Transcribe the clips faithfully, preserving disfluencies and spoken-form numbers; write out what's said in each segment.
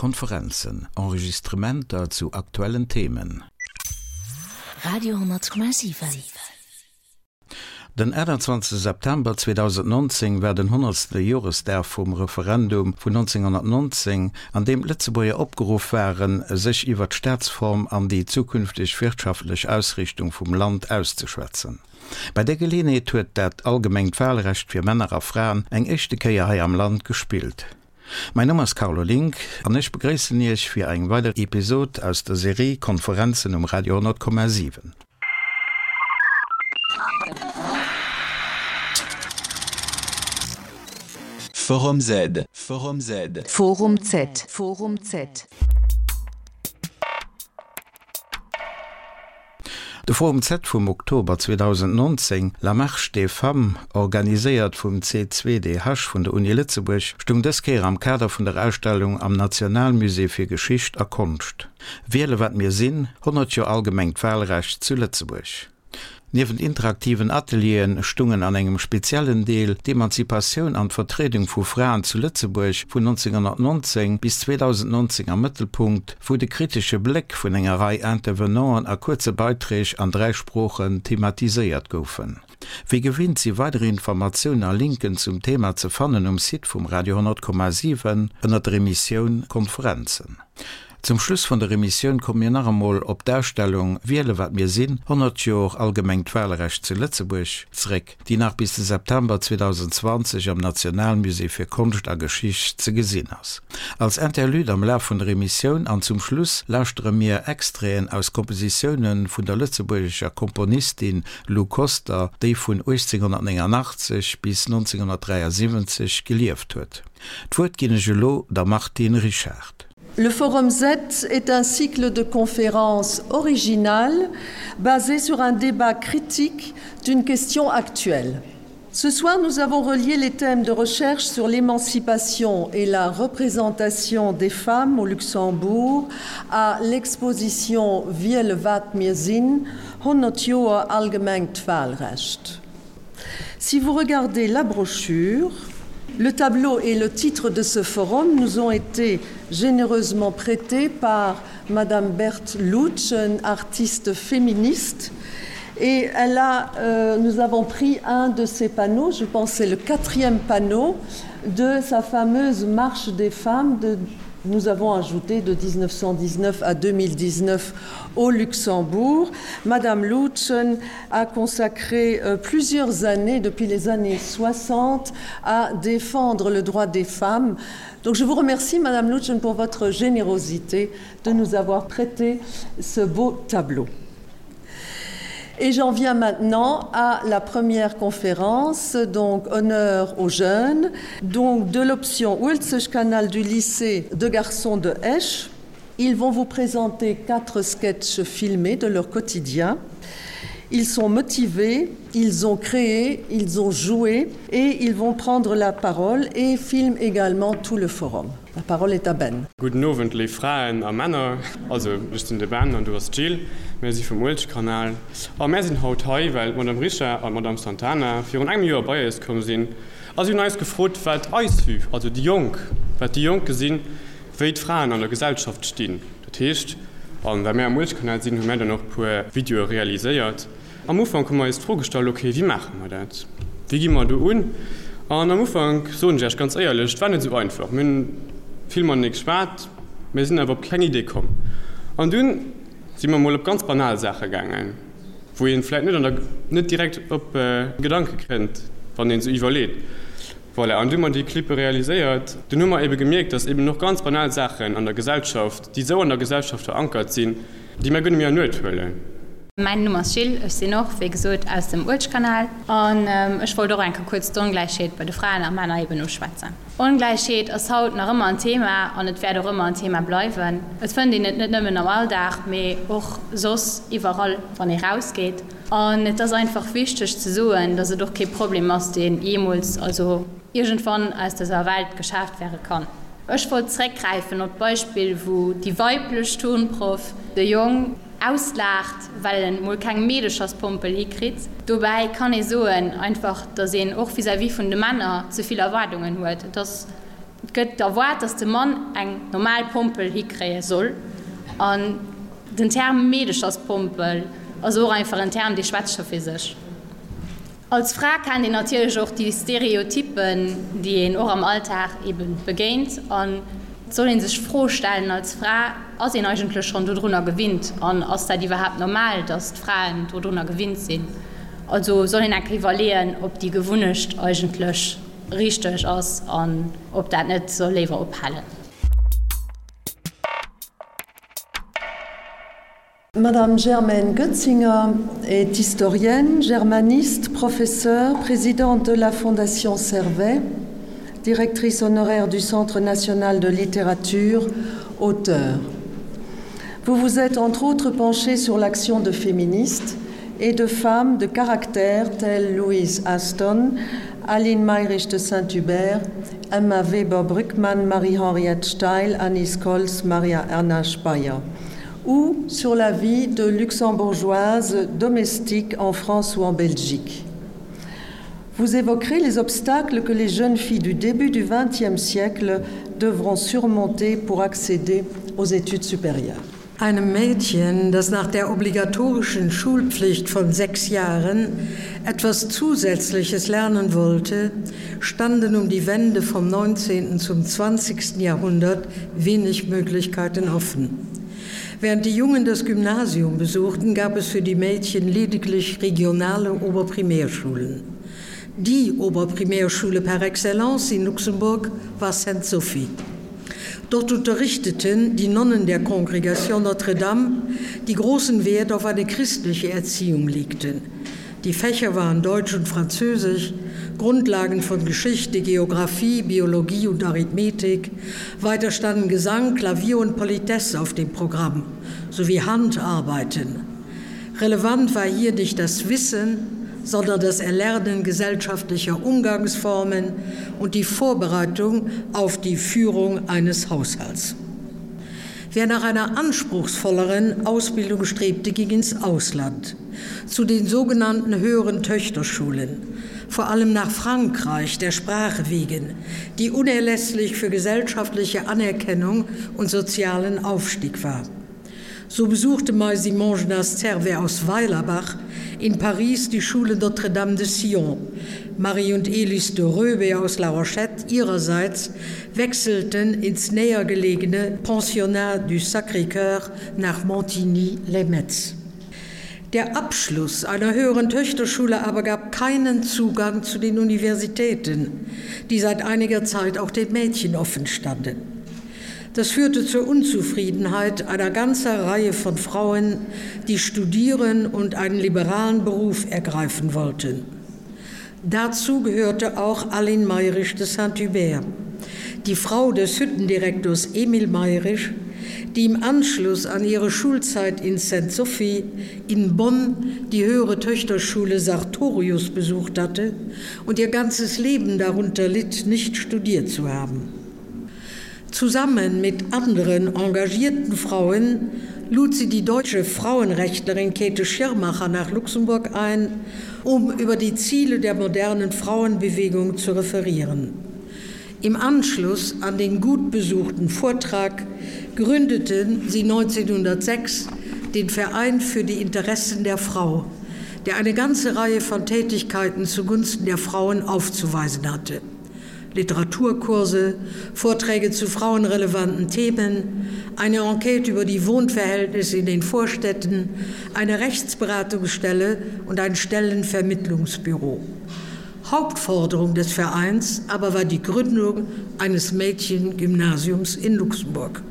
Konferenzen, Enregistrementer zu aktuellen Themen. Radio hundertkomma siwen. Den achtundzwanzegste September zweedausendnonzéng war den honnertste Joresdag vum Referendum vun nonzénghonnertnonzéng, an deem d'Lëtzebuerger opgeruff waren, sech iwwer d'Staatsform an déi zukünfteg wirtschaftlech Ausriichtung vum Land auszeschwätzen. Bei där Geleeënheet huet dat allgemengt Walrecht fir Männer a Fraen eng éischte Kéier hei am Land gespillt. Mäin Numm ass Carlo Link an ech begréissen Iech fir eng weider Episod aus der Serie Konferenzen um Radio honnertkomma siwen. Forum Z, Forum Z. Forum Z, Forum Z. De Forum Z vum Oktober zweedausendnonzéng, La Marche des Femmes, organiséiert vum C zwei D H vun der Uni Lëtzebuerg, stung dës Kéier am Kader vun der Ausstellung am Nationalmusée fir Geschicht a Konscht. Wiele wat mir sinn, honnert Joer allgemengt Walrecht zu Lëtzebuerg. Niewent interaktiven Atelieren stungen an engem speziellen Deel d'Emanzipatioun an d'Vertriedung vu Fraen zu Lëtzebuerg vun nonzénghonnertnonzéng bis zweedausendnonzéng am Mëttelpunkt, wou de kritesche Bléck vun enger Rei Intervenanten a kuerze Beiträg an dräi Sproochen thematiséiert goufen. Wéi gewinnt si weider Informatiounen a Linken zum Thema ze fannen um Site vum Radio honnertkomma siwen ënner der Emissioun Konferenzen. Zum Schluss vun der Emissioun komme mir nach emol op d'Ausstellung Wiele wat mir sinn, honnert Joer allgemengt Walrecht zu Lëtzebuerg zeréck, déi nach bis de September zweedausendzwanzeg am Nationalmusée fir Konscht a Geschicht ze gesinn ass. Als Interlude am Laf vun der Emissioun an zum Schluss lauschtere mir Extraiten aus Kompositioune vun der lëtzebuergescher Komponistin Lou Koster, déi vun uechtzénghonnertnénganaachtzeg bis nonzénghonnertdräiasiwwenzeg gelieft huet. D'Wuert ginn ech elo der Martine Richard. Le Forum Z est un cycle de conférences original basé sur un débat critique d'une question actuelle. Ce soir, nous avons relié les thèmes de recherche sur l'émancipation et la représentation des femmes au Luxembourg à l'exposition Wiele wat mir sinn, honnert Joer allgemengt Walrecht. Si vous regardez la brochure, le tableau et le titre de ce forum nous ont été généreusement prêtés par Madame Berthe Lutsch, artiste féministe. Et elle a, euh, nous avons pris un de ses panneaux, je pense c'est le quatrième panneau de sa fameuse marche des femmes de, nous avons ajouté de mille neuf cent dix-neuf à deux mille dix-neuf au Luxembourg. Madame Lutzen a consacré euh, plusieurs années depuis les années soixante à défendre le droit des femmes. Donc je vous remercie Madame Lutzen pour votre générosité de nous avoir prêté ce beau tableau. Et j'en viens maintenant à la première conférence, donc honneur aux jeunes, donc de l'option Uelzechtkanal du lycée de garçons de Esch. Ils vont vous présenter quatre sketchs filmés de leur quotidien. Ils sont motivés, ils ont créé, ils ont joué et ils vont prendre la parole et filment également tout le forum. La parole est à Ben. Gudden Owend léif Fraen a Männer. Also ech sinn de Ben an du ass d'Jill. Mir si vum Uelzechtkanal. A mir sinn haut hei, well d'Madame Richard an d'Madame Santana virun engem Joer bei eis komm sinn a si hunn eis gefrot, wat eis Vue, also déi Jonk, wat déi Jonk gesinn, wéi d'Fraen an der Gesellschaft stinn. Dat heescht, an well mir am Uelzechtkanal sinn, hu mir dann och puer Videoe realiséiert. Am Ufank hu mer eis d'Fro gestallt, okay, wéi maache mer dat? Wéi gi mer do un? An am Ufank, soen ech iech ganz éierlech, et war net esou einfach. Mir hunn vill matenee geschwat, mir sinn awer op keng Idee komm. An dunn si mer mol op ganz banal Saache gaangen, wou een vläicht net an der, net direkt op Gedanke kënnt, wann een esou iwwerleet. Voilà, an du hu mer déi Clippe realiséiert. Dunn hu mer ebe gemierkt, dass eben och ganz banal Saachen an der Gesellschaft, déi esou an der Gesellschaft verankert sinn, déi mer guer net méi an Uecht huelen. Mäin Numm ass Jill, ech sinn och, wéi gesot, aus dem Uelzechtkanal an ech wollt och eng Kéier kuerz d'Ongläichheet bei de Fraen a Männer eben uschwätzen. Ongläichheet ass haut nach ëmmer en Thema an et wäert och ëmmer en Thema bleiwen. Et fënnt een et net nëmmen am Alldag, mee och soss iwwerall, wann ee rausgeet. An et ass einfach wichteg ze soen, dass et och kee Problem ass, deen jeemools, also iergendwann aus dëser Welt geschaaft wäre kann. Ech wollt zréckgräifen op d'Beispill, wou déi weiblech Turnproff de Jong auslaacht, well en mol keng Meedecherspompel hikritt. Dobäi kann ee soen einfach, datt een och vis-à-vis vun de Männer ze vill Erwaardungen huet. Et ass Et gëtt erwaart, dass de Mann eng normal Pompel hikréie soll. An den Term Meedecherspompel ass och einfach en Term, dee schwätzt scho fir sech. Als Fra kennt een natierlech och déi Stereotyppen, déi een och am Alltag ebe begéint. An et soll ee sech d'Fro stellen als Fra, Ass een eigentlech schonn dodrunner gewinnt? An ass dat iwwerhaapt normal, dass d'Fraen dodrunner gewinnt sinn? Also soll een eng Kéier iwwerleeën, ob déi Gewunnecht eigentlech richteg ass an ob dat net soll léiwer ophalen. Madame Germaine Goetzinger est historienne, germaniste, professeure, présidente de la Fondation Servet, directrice honoraire du Centre national de littérature, auteur. Vous vous êtes entre autres penchée sur l'action de féministes et de femmes de caractère telles Louise Aston, Aline Mayrisch de Saint-Hubert, Emma Weber Brückmann, Marie-Henriette Steil, Anis Kolz, Maria Erna Speyer ou sur la vie de luxembourgeoises domestiques en France ou en Belgique. Vous évoquerez les obstacles que les jeunes filles du début du XXe siècle devront surmonter pour accéder aux études supérieures. Einem Mädchen, das nach der obligatorischen Schulpflicht von sechs Jahren etwas Zusätzliches lernen wollte, standen um die Wende vom neunzehnten zum zwanzigsten Jahrhundert wenig Möglichkeiten offen. Während die Jungen das Gymnasium besuchten, gab es für die Mädchen lediglich regionale Oberprimärschulen. Die Oberprimärschule par excellence in Luxemburg war Sainte Sophie. Dort unterrichteten die Nonnen der Kongregation Notre-Dame, die großen Wert auf eine christliche Erziehung legten. Die Fächer waren Deutsch und Französisch, Grundlagen von Geschichte, Geographie, Biologie und Arithmetik. Weiter standen Gesang, Klavier und Politesse auf dem Programm, sowie Handarbeiten. Relevant war hier nicht das Wissen, sondern das Erlernen gesellschaftlicher Umgangsformen und die Vorbereitung auf die Führung eines Haushalts. Wer nach einer anspruchsvolleren Ausbildung strebte, ging ins Ausland, zu den sogenannten höheren Töchterschulen, vor allem nach Frankreich der Sprache wegen, die unerlässlich für gesellschaftliche Anerkennung und sozialen Aufstieg war. So besuchte Mai Simon Servet aus Weilerbach in Paris die Schule Notre-Dame de Sion. Marie und Elis de Röbe aus La Rochette ihrerseits wechselten ins näher gelegene Pensionnat du Sacré-Cœur nach Montigny-les-Metz. Der Abschluss einer höheren Töchterschule aber gab keinen Zugang zu den Universitäten, die seit einiger Zeit auch den Mädchen offen standen. Das führte zur Unzufriedenheit einer ganzen Reihe von Frauen, die studieren und einen liberalen Beruf ergreifen wollten. Dazu gehörte auch Aline Mayrisch de Saint-Hubert, die Frau des Hüttendirektors Emil Mayrisch, die im Anschluss an ihre Schulzeit in St. Sophie in Bonn die höhere Töchterschule Sartorius besucht hatte und ihr ganzes Leben darunter litt, nicht studiert zu haben. Zusammen mit anderen engagierten Frauen lud sie die deutsche Frauenrechtlerin Käthe Schirmacher nach Luxemburg ein, um über die Ziele der modernen Frauenbewegung zu referieren. Im Anschluss an den gut besuchten Vortrag gründeten sie neunzehnhundertsechs den Verein für die Interessen der Frau, der eine ganze Reihe von Tätigkeiten zugunsten der Frauen aufzuweisen hatte. Literaturkurse, Vorträge zu frauenrelevanten Themen, eine Enquete über die Wohnverhältnisse in den Vorstädten, eine Rechtsberatungsstelle und ein Stellenvermittlungsbüro. Hauptforderung des Vereins aber war die Gründung eines Mädchengymnasiums in Luxemburg.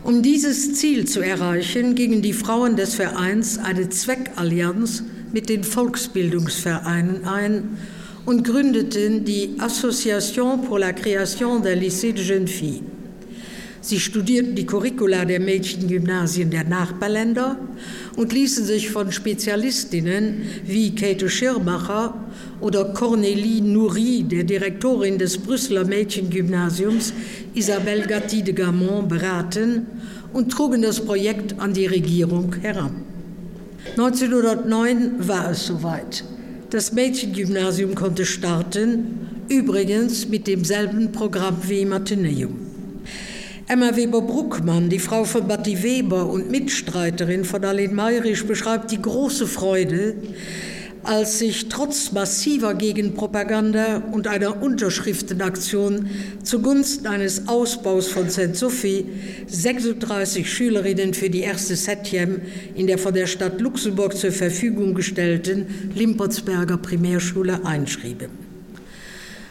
Um dieses Ziel zu erreichen, gingen die Frauen des Vereins eine Zweckallianz mit den Volksbildungsvereinen ein und gründeten die Association pour la création d'un lycée de jeunes filles. Sie studierten die Curricula der Mädchengymnasien der Nachbarländer und ließen sich von Spezialistinnen wie Käthe Schirmacher oder Cornélie Nourry, der Direktorin des Brüsseler Mädchengymnasiums Isabelle Gatti de Gamont, beraten und trugen das Projekt an die Regierung heran. neunzehnhundertneun war es soweit. Das Mädchengymnasium konnte starten, übrigens mit demselben Programm wie im Atheneum. Emma Weber-Bruckmann, die Frau von Batti Weber und Mitstreiterin von Aline Mayrisch, beschreibt die große Freude, als sich trotz massiver Gegenpropaganda und einer Unterschriftenaktion zugunsten eines Ausbaus von St. Sophie sechsunddreißig Schülerinnen für die erste Septième in der von der Stadt Luxemburg zur Verfügung gestellten Limpertsberger Primärschule einschrieben.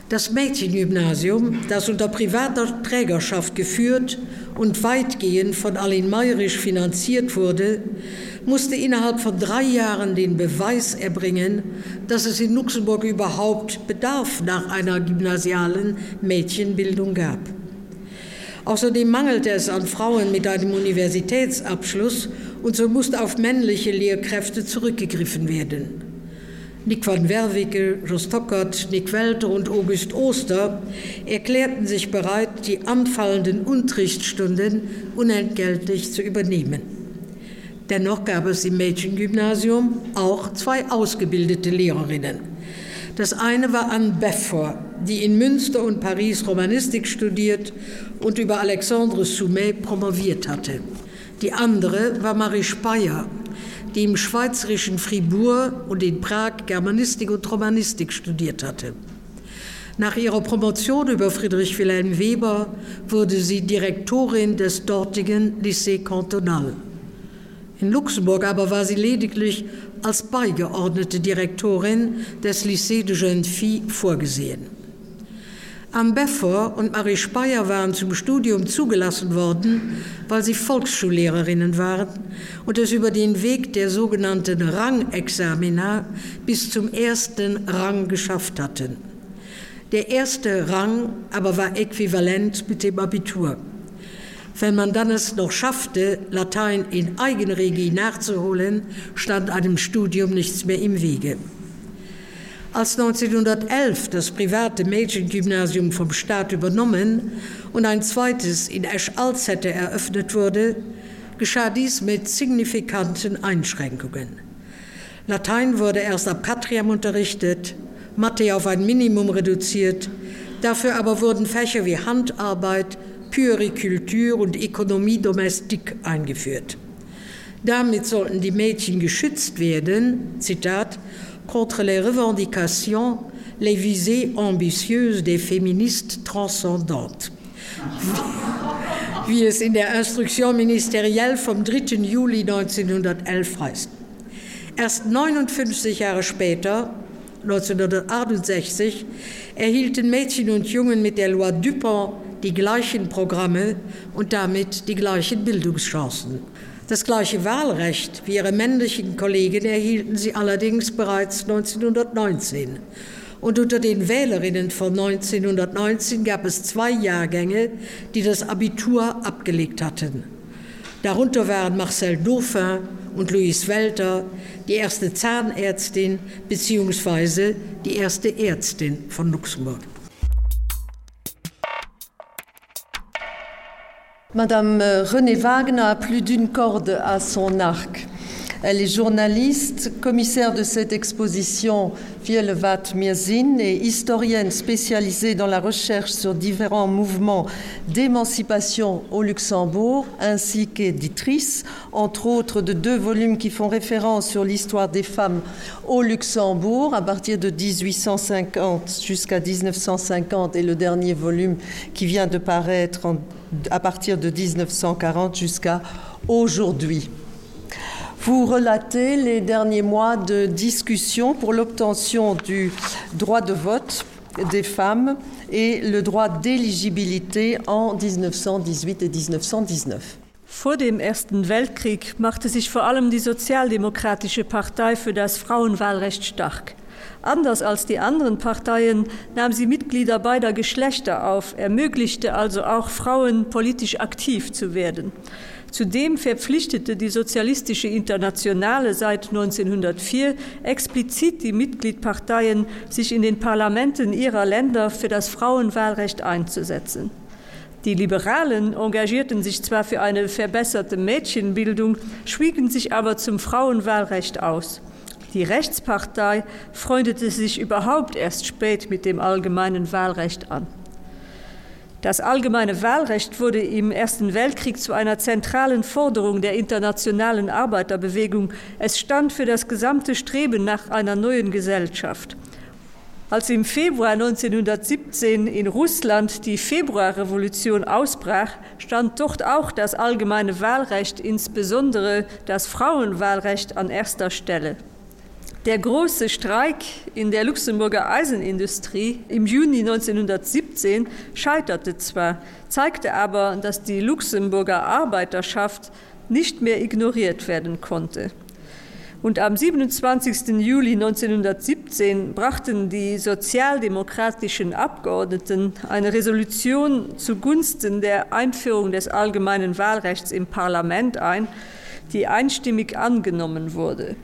Das Mädchengymnasium, das unter privater Trägerschaft geführt und weitgehend von Aline Mayrisch finanziert wurde, musste innerhalb von drei Jahren den Beweis erbringen, dass es in Luxemburg überhaupt Bedarf nach einer gymnasialen Mädchenbildung gab. Außerdem mangelte es an Frauen mit einem Universitätsabschluss und so musste auf männliche Lehrkräfte zurückgegriffen werden. Nick van Werwicke, Jos Tockert, Nick Welter und August Oster erklärten sich bereit, die anfallenden Unterrichtsstunden unentgeltlich zu übernehmen. Dennoch gab es im Mädchengymnasium auch zwei ausgebildete Lehrerinnen. Das eine war Anne Beffor, die in Münster und Paris Romanistik studiert und über Alexandre Soumet promoviert hatte. Die andere war Marie Speyer, die im schweizerischen Fribourg und in Prag Germanistik und Romanistik studiert hatte. Nach ihrer Promotion über Friedrich Wilhelm Weber wurde sie Direktorin des dortigen Lycée Cantonal. In Luxemburg aber war sie lediglich als beigeordnete Direktorin des Lycée de Jeunes Filles vorgesehen. Anne Beffor und Marie Speyer waren zum Studium zugelassen worden, weil sie Volksschullehrerinnen waren und es über den Weg der sogenannten Rangexamina bis zum ersten Rang geschafft hatten. Der erste Rang aber war äquivalent mit dem Abitur. Wenn man dann es noch schaffte, Latein in Eigenregie nachzuholen, stand einem Studium nichts mehr im Wege. Als neunzehnhundertelf das private Mädchengymnasium vom Staat übernommen und ein zweites in Esch-Alzette eröffnet wurde, geschah dies mit signifikanten Einschränkungen. Latein wurde erst ab Quatrième unterrichtet, Mathe auf ein Minimum reduziert, dafür aber wurden Fächer wie Handarbeit, Puericulture und Ökonomie domestique eingeführt. Damit sollten die Mädchen geschützt werden, Zitat, contre les revendications, les visées ambitieuses des féministes transcendantes. Wie es in der Instruction ministérielle vom dritten Juli neunzehnhundertelf heißt. Erst neunundfünfzig Jahre später, neunzehnhundertachtundsechzig, erhielten Mädchen und Jungen mit der Loi Dupont die gleichen Programme und damit die gleichen Bildungschancen. Das gleiche Wahlrecht wie ihre männlichen Kollegen erhielten sie allerdings bereits neunzehnhundertneunzehn. Und unter den Wählerinnen von neunzehnhundertneunzehn gab es zwei Jahrgänge, die das Abitur abgelegt hatten. Darunter waren Marcel Dauphin und Louise Welter, die erste Zahnärztin beziehungsweise die erste Ärztin von Luxemburg. Madame Renée Wagner a plus d'une corde à son arc. Elle est journaliste, commissaire de cette exposition Wielewaat mir sinn et historienne spécialisée dans la recherche sur différents mouvements d'émancipation au Luxembourg, ainsi qu'éditrice, entre autres de deux volumes qui font référence sur l'histoire des femmes au Luxembourg à partir de dix-huit cent cinquante jusqu'à dix-neuf cent cinquante et le dernier volume qui vient de paraître en, à partir de dix-neuf cent quarante jusqu'à aujourd'hui. Vous relatez les derniers mois de discussion pour l'obtention du droit de vote des femmes et le droit d'éligibilité en dix-neuf cent dix-huit et dix-neuf cent dix-neuf. Vor dem Ersten Weltkrieg machte sich vor allem die Sozialdemokratische Partei für das Frauenwahlrecht stark. Anders als die anderen Parteien nahm sie Mitglieder beider Geschlechter auf, ermöglichte also auch Frauen, politisch aktiv zu werden. Zudem verpflichtete die Sozialistische Internationale seit neunzehnhundertvier explizit die Mitgliedparteien, sich in den Parlamenten ihrer Länder für das Frauenwahlrecht einzusetzen. Die Liberalen engagierten sich zwar für eine verbesserte Mädchenbildung, schwiegen sich aber zum Frauenwahlrecht aus. Die Rechtspartei freundete sich überhaupt erst spät mit dem allgemeinen Wahlrecht an. Das allgemeine Wahlrecht wurde im Ersten Weltkrieg zu einer zentralen Forderung der internationalen Arbeiterbewegung. Es stand für das gesamte Streben nach einer neuen Gesellschaft. Als im Februar neunzehnhundertsiebzehn in Russland die Februarrevolution ausbrach, stand dort auch das allgemeine Wahlrecht, insbesondere das Frauenwahlrecht an erster Stelle. Der große Streik in der Luxemburger Eisenindustrie im Juni neunzehnhundertsiebzehn scheiterte zwar, zeigte aber, dass die Luxemburger Arbeiterschaft nicht mehr ignoriert werden konnte. Und am siebenundzwanzigsten Juli neunzehnhundertsiebzehn brachten die sozialdemokratischen Abgeordneten eine Resolution zugunsten der Einführung des allgemeinen Wahlrechts im Parlament ein, die einstimmig angenommen wurde.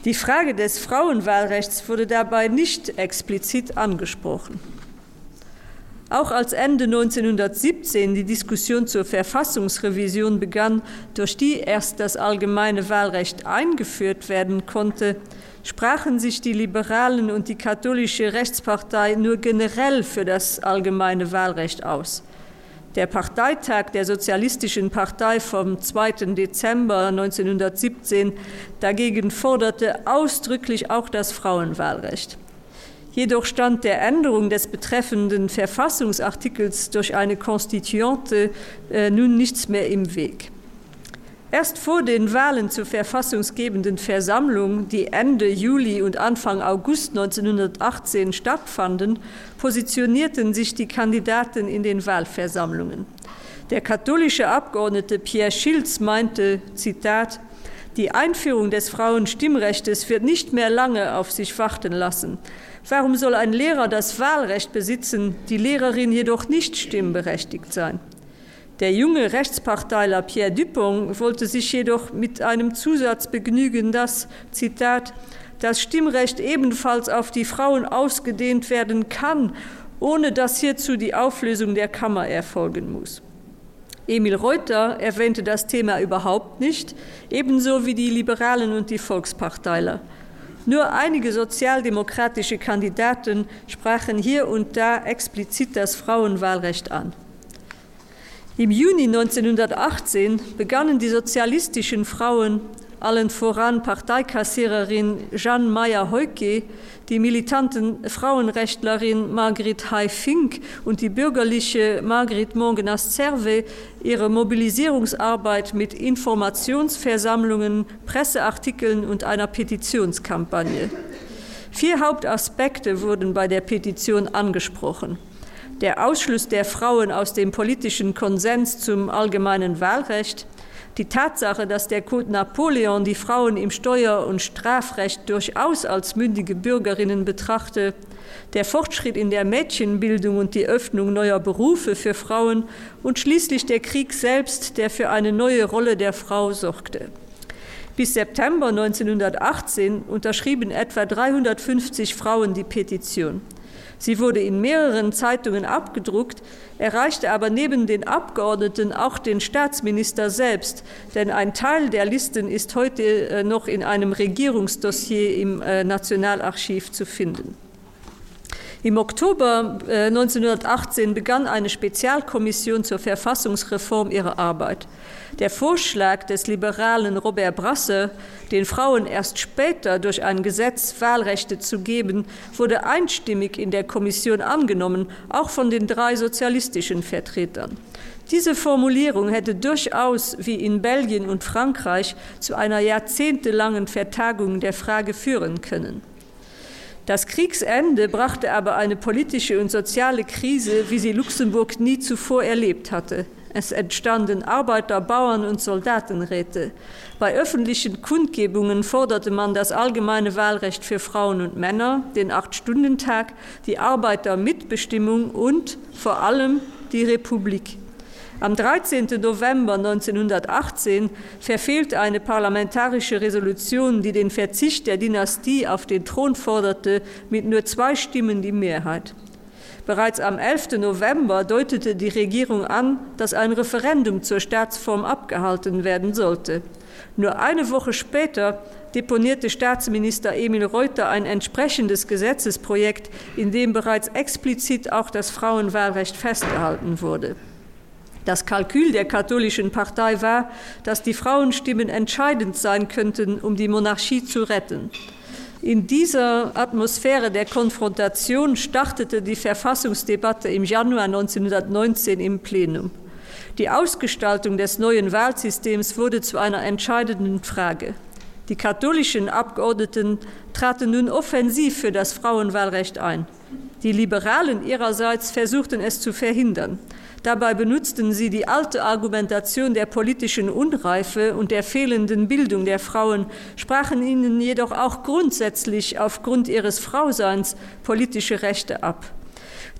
Die Frage des Frauenwahlrechts wurde dabei nicht explizit angesprochen. Auch als Ende neunzehnhundertsiebzehn die Diskussion zur Verfassungsrevision begann, durch die erst das allgemeine Wahlrecht eingeführt werden konnte, sprachen sich die Liberalen und die katholische Rechtspartei nur generell für das allgemeine Wahlrecht aus. Der Parteitag der Sozialistischen Partei vom zweiten Dezember neunzehnhundertsiebzehn dagegen forderte ausdrücklich auch das Frauenwahlrecht. Jedoch stand der Änderung des betreffenden Verfassungsartikels durch eine Konstituante, äh, nun nichts mehr im Weg. Erst vor den Wahlen zur verfassungsgebenden Versammlung, die Ende Juli und Anfang August neunzehnhundertachtzehn stattfanden, positionierten sich die Kandidaten in den Wahlversammlungen. Der katholische Abgeordnete Pierre Schilz meinte, Zitat, Die Einführung des Frauenstimmrechtes wird nicht mehr lange auf sich warten lassen. Warum soll ein Lehrer das Wahlrecht besitzen, die Lehrerin jedoch nicht stimmberechtigt sein? Der junge Rechtsparteiler Pierre Dupong wollte sich jedoch mit einem Zusatz begnügen, dass, Zitat, das Stimmrecht ebenfalls auf die Frauen ausgedehnt werden kann, ohne dass hierzu die Auflösung der Kammer erfolgen muss. Emil Reuter erwähnte das Thema überhaupt nicht, ebenso wie die Liberalen und die Volksparteiler. Nur einige sozialdemokratische Kandidaten sprachen hier und da explizit das Frauenwahlrecht an. Im Juni neunzehnhundertachtzehn begannen die sozialistischen Frauen, allen voran Parteikassiererin Jeanne Meyer-Heuke, die militanten Frauenrechtlerin Margrit Hay-Fink und die bürgerliche Margrit Mongenas-Zerwe ihre Mobilisierungsarbeit mit Informationsversammlungen, Presseartikeln und einer Petitionskampagne. Vier Hauptaspekte wurden bei der Petition angesprochen. Der Ausschluss der Frauen aus dem politischen Konsens zum allgemeinen Wahlrecht, die Tatsache, dass der Code Napoleon die Frauen im Steuer- und Strafrecht durchaus als mündige Bürgerinnen betrachte, der Fortschritt in der Mädchenbildung und die Öffnung neuer Berufe für Frauen und schließlich der Krieg selbst, der für eine neue Rolle der Frau sorgte. Bis September neunzehnhundertachtzehn unterschrieben etwa dreihundertfünfzig Frauen die Petition. Sie wurde in mehreren Zeitungen abgedruckt, erreichte aber neben den Abgeordneten auch den Staatsminister selbst, denn ein Teil der Listen ist heute, äh, noch in einem Regierungsdossier im, äh, Nationalarchiv zu finden. Im Oktober, äh, neunzehnhundertachtzehn begann eine Spezialkommission zur Verfassungsreform ihre Arbeit. Der Vorschlag des liberalen Robert Brasse, den Frauen erst später durch ein Gesetz Wahlrechte zu geben, wurde einstimmig in der Kommission angenommen, auch von den drei sozialistischen Vertretern. Diese Formulierung hätte durchaus, wie in Belgien und Frankreich, zu einer jahrzehntelangen Vertagung der Frage führen können. Das Kriegsende brachte aber eine politische und soziale Krise, wie sie Luxemburg nie zuvor erlebt hatte. Es entstanden Arbeiter-, Bauern- und Soldatenräte. Bei öffentlichen Kundgebungen forderte man das allgemeine Wahlrecht für Frauen und Männer, den Acht-Stunden-Tag, die Arbeitermitbestimmung und vor allem die Republik. Am dreizehnten November neunzehnhundertachtzehn verfehlte eine parlamentarische Resolution, die den Verzicht der Dynastie auf den Thron forderte, mit nur zwei Stimmen die Mehrheit. Bereits am elften November deutete die Regierung an, dass ein Referendum zur Staatsform abgehalten werden sollte. Nur eine Woche später deponierte Staatsminister Emil Reuter ein entsprechendes Gesetzesprojekt, in dem bereits explizit auch das Frauenwahlrecht festgehalten wurde. Das Kalkül der katholischen Partei war, dass die Frauenstimmen entscheidend sein könnten, um die Monarchie zu retten. In dieser Atmosphäre der Konfrontation startete die Verfassungsdebatte im Januar neunzehnhundertneunzehn im Plenum. Die Ausgestaltung des neuen Wahlsystems wurde zu einer entscheidenden Frage. Die katholischen Abgeordneten traten nun offensiv für das Frauenwahlrecht ein. Die Liberalen ihrerseits versuchten es zu verhindern. Dabei benutzten sie die alte Argumentation der politischen Unreife und der fehlenden Bildung der Frauen, sprachen ihnen jedoch auch grundsätzlich aufgrund ihres Frauseins politische Rechte ab.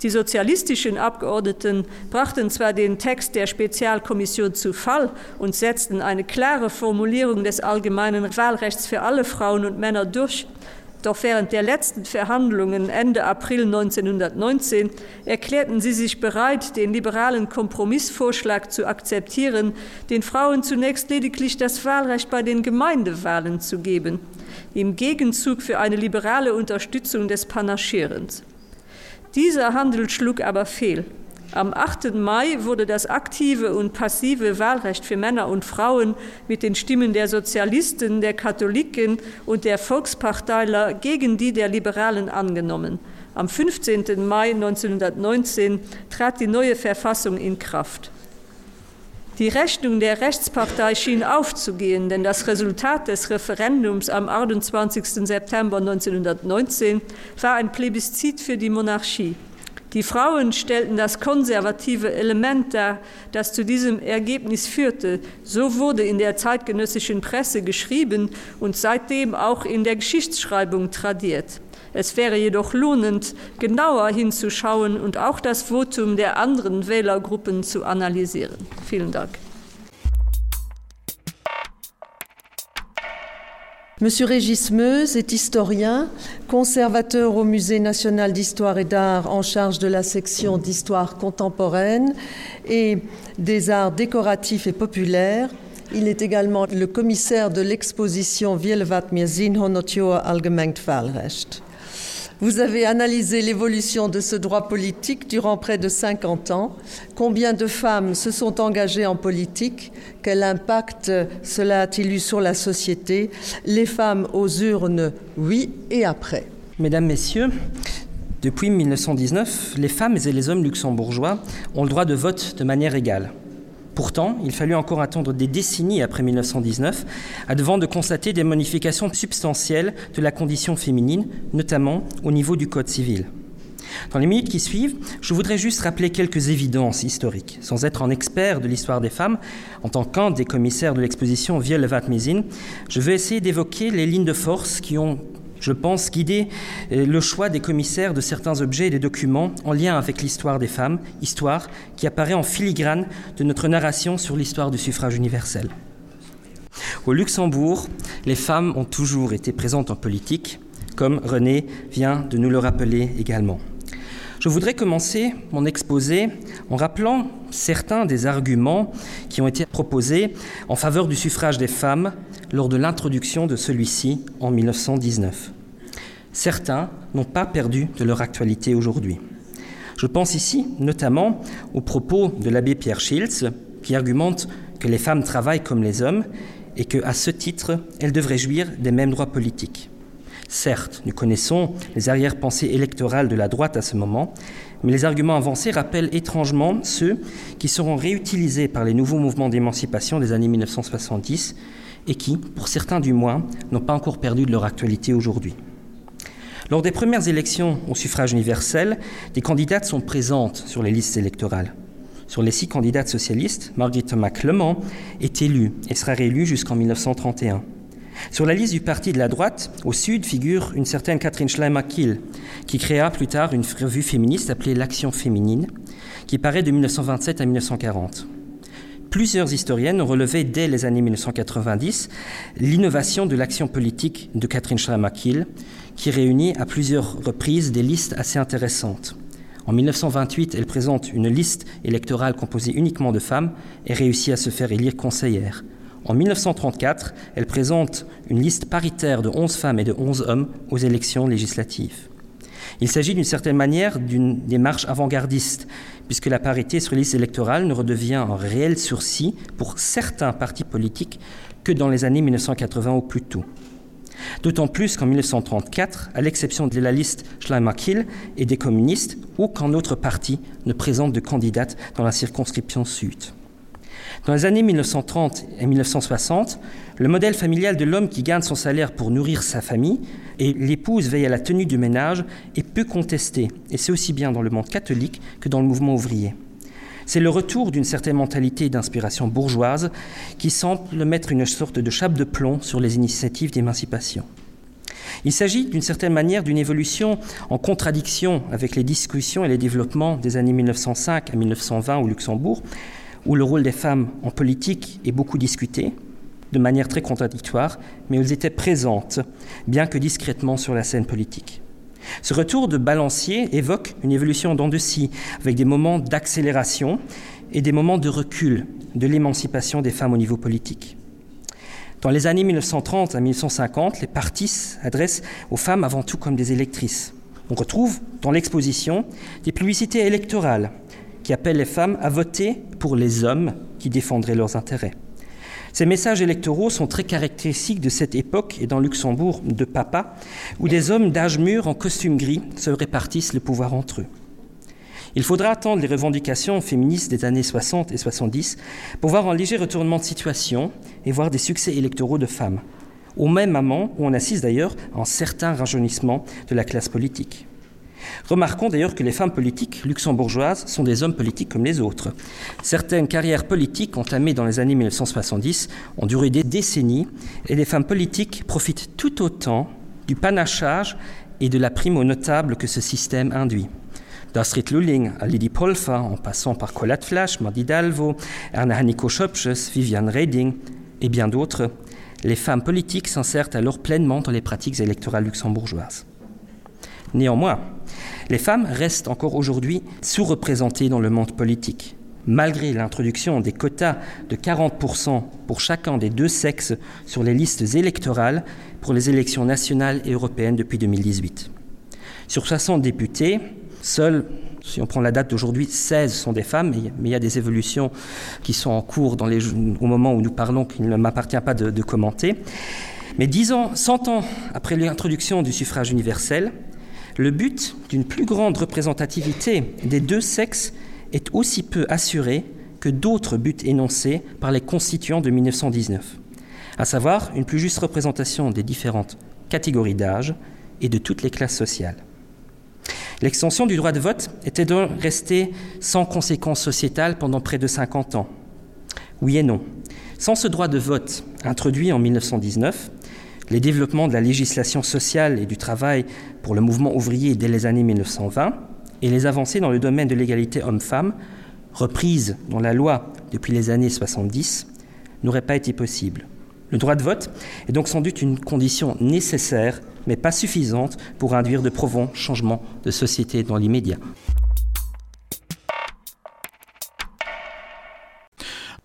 Die sozialistischen Abgeordneten brachten zwar den Text der Spezialkommission zu Fall und setzten eine klare Formulierung des allgemeinen Wahlrechts für alle Frauen und Männer durch, doch während der letzten Verhandlungen Ende April neunzehnhundertneunzehn erklärten sie sich bereit, den liberalen Kompromissvorschlag zu akzeptieren, den Frauen zunächst lediglich das Wahlrecht bei den Gemeindewahlen zu geben, im Gegenzug für eine liberale Unterstützung des Panaschierens. Dieser Handel schlug aber fehl. Am achten Mai wurde das aktive und passive Wahlrecht für Männer und Frauen mit den Stimmen der Sozialisten, der Katholiken und der Volksparteiler gegen die der Liberalen angenommen. Am fünfzehnten Mai neunzehnhundertneunzehn trat die neue Verfassung in Kraft. Die Rechnung der Rechtspartei schien aufzugehen, denn das Resultat des Referendums am achtundzwanzigsten September neunzehnhundertneunzehn war ein Plebiszit für die Monarchie. Die Frauen stellten das konservative Element dar, das zu diesem Ergebnis führte. So wurde in der zeitgenössischen Presse geschrieben und seitdem auch in der Geschichtsschreibung tradiert. Es wäre jedoch lohnend, genauer hinzuschauen und auch das Votum der anderen Wählergruppen zu analysieren. Vielen Dank. Monsieur Régis Meuse est historien, conservateur au Musée national d'histoire et d'art en charge de la section d'histoire contemporaine et des arts décoratifs et populaires. Il est également le commissaire de l'exposition Wielewatt mir sinn honnert Joer allgemengt Wahlrecht. Vous avez analysé l'évolution de ce droit politique durant près de cinquante ans. Combien de femmes se sont engagées en politique? Quel impact cela a-t-il eu sur la société? Les femmes aux urnes, oui, et après. Mesdames, Messieurs, depuis mille neuf cent dix-neuf, les femmes et les hommes luxembourgeois ont le droit de vote de manière égale. Pourtant, il fallut encore attendre des décennies après mille neuf cent dix-neuf avant de constater des modifications substantielles de la condition féminine, notamment au niveau du Code civil. Dans les minutes qui suivent, je voudrais juste rappeler quelques évidences historiques. Sans être un expert de l'histoire des femmes, en tant qu'un des commissaires de l'exposition Wielewatt mir sinn, je veux essayer d'évoquer les lignes de force qui ont, je pense, guidé le choix des commissaires de certains objets et des documents en lien avec l'histoire des femmes, histoire qui apparaît en filigrane de notre narration sur l'histoire du suffrage universel. Au Luxembourg, les femmes ont toujours été présentes en politique, comme René vient de nous le rappeler également. Je voudrais commencer mon exposé en rappelant certains des arguments qui ont été proposés en faveur du suffrage des femmes lors de l'introduction de celui-ci en mille neuf cent dix-neuf. Certains n'ont pas perdu de leur actualité aujourd'hui. Je pense ici notamment aux propos de l'abbé Pierre Schiltz, qui argumente que les femmes travaillent comme les hommes et que, à ce titre, elles devraient jouir des mêmes droits politiques. Certes, nous connaissons les arrière-pensées électorales de la droite à ce moment, mais les arguments avancés rappellent étrangement ceux qui seront réutilisés par les nouveaux mouvements d'émancipation des années mille neuf cent soixante-dix et qui, pour certains du moins, n'ont pas encore perdu de leur actualité aujourd'hui. Lors des premières élections au suffrage universel, des candidates sont présentes sur les listes électorales. Sur les six candidates socialistes, Marguerite Thomas-Clement est élue et sera réélue jusqu'en mille neuf cent trente et un. Sur la liste du parti de la droite, au sud, figure une certaine Catherine Schleimer-Kiel, qui créa plus tard une revue féministe appelée L'Action féminine, qui paraît de mille neuf cent vingt-sept à mille neuf cent quarante. Plusieurs historiennes ont relevé dès les années mille neuf cent quatre-vingt-dix l'innovation de l'action politique de Catherine Schleimer-Kiel, qui réunit à plusieurs reprises des listes assez intéressantes. En mille neuf cent vingt-huit, elle présente une liste électorale composée uniquement de femmes et réussit à se faire élire conseillère. En mille neuf cent trente-quatre, elle présente une liste paritaire de onze femmes et de onze hommes aux élections législatives. Il s'agit d'une certaine manière d'une démarche avant-gardiste, puisque la parité sur liste électorale ne redevient un réel sursis pour certains partis politiques que dans les années mille neuf cent quatre-vingts ou plus tôt. D'autant plus qu'en mille neuf cent trente-quatre, à l'exception de la liste Schleimakill et des communistes, aucun autre parti ne présente de candidate dans la circonscription sud. Dans les années mille neuf cent trente et mille neuf cent soixante, le modèle familial de l'homme qui gagne son salaire pour nourrir sa famille et l'épouse veille à la tenue du ménage est peu contesté, et c'est aussi bien dans le monde catholique que dans le mouvement ouvrier. C'est le retour d'une certaine mentalité d'inspiration bourgeoise qui semble mettre une sorte de chape de plomb sur les initiatives d'émancipation. Il s'agit d'une certaine manière d'une évolution en contradiction avec les discussions et les développements des années mille neuf cent cinq à mille neuf cent vingt au Luxembourg, où le rôle des femmes en politique est beaucoup discuté, de manière très contradictoire, mais elles étaient présentes, bien que discrètement sur la scène politique. Ce retour de balancier évoque une évolution en dents de scie, avec des moments d'accélération et des moments de recul de l'émancipation des femmes au niveau politique. Dans les années mille neuf cent trente à mille neuf cent cinquante, les partis s'adressent aux femmes avant tout comme des électrices. On retrouve dans l'exposition des publicités électorales qui appellent les femmes à voter pour les hommes qui défendraient leurs intérêts. Ces messages électoraux sont très caractéristiques de cette époque et dans Luxembourg de papa, où des hommes d'âge mûr en costume gris se répartissent le pouvoir entre eux. Il faudra attendre les revendications féministes des années soixante et soixante-dix pour voir un léger retournement de situation et voir des succès électoraux de femmes, au même moment où on assiste d'ailleurs à un certain rajeunissement de la classe politique. Remarquons d'ailleurs que les femmes politiques luxembourgeoises sont des hommes politiques comme les autres. Certaines carrières politiques entamées dans les années mille neuf cent soixante-dix ont duré des décennies et les femmes politiques profitent tout autant du panachage et de la prime aux notables que ce système induit. D'Astrid Lulling à Lydie Polfer, en passant par Colette Flash, Madi Dalvo, Erna Hennicot-Schoepges, Viviane Reding et bien d'autres, les femmes politiques s'insèrent alors pleinement dans les pratiques électorales luxembourgeoises. Néanmoins, les femmes restent encore aujourd'hui sous-représentées dans le monde politique. Malgré l'introduction des quotas de quarante pour cent pour chacun des deux sexes sur les listes électorales pour les élections nationales et européennes depuis deux mille dix-huit. Sur soixante députés, seuls, si on prend la date d'aujourd'hui, seize sont des femmes, mais, mais il y a des évolutions qui sont en cours dans les, au moment où nous parlons, qu'il ne m'appartient pas de, de commenter. Mais dix ans, cent ans après l'introduction du suffrage universel, le but d'une plus grande représentativité des deux sexes est aussi peu assuré que d'autres buts énoncés par les constituants de mille neuf cent dix-neuf, à savoir une plus juste représentation des différentes catégories d'âge et de toutes les classes sociales. L'extension du droit de vote était donc restée sans conséquences sociétales pendant près de cinquante ans. Oui et non. Sans ce droit de vote introduit en mille neuf cent dix-neuf, les développements de la législation sociale et du travail pour le mouvement ouvrier dès les années mille neuf cent vingt et les avancées dans le domaine de l'égalité homme-femme, reprises dans la loi depuis les années soixante-dix, n'auraient pas été possibles. Le droit de vote est donc sans doute une condition nécessaire, mais pas suffisante pour induire de profonds changements de société dans l'immédiat.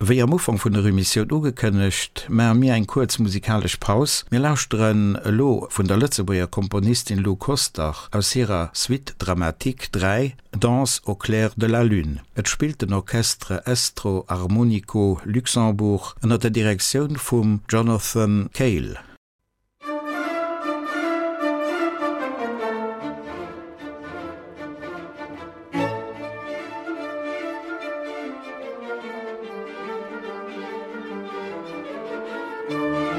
Wéi am Ufank vun der Emissioun ugekënnegt, maache mir eng kuerz musikalesch Paus. Mir lauschteren elo vun der Lëtzebuerger Komponistin Lou Koster aus hirer Suite Dramatique dräi, Danse au clair de la lune. Et spillt den Orchestre Estro Armonico Luxembourg ënner der Direktioun vum Jonathan Cale. Thank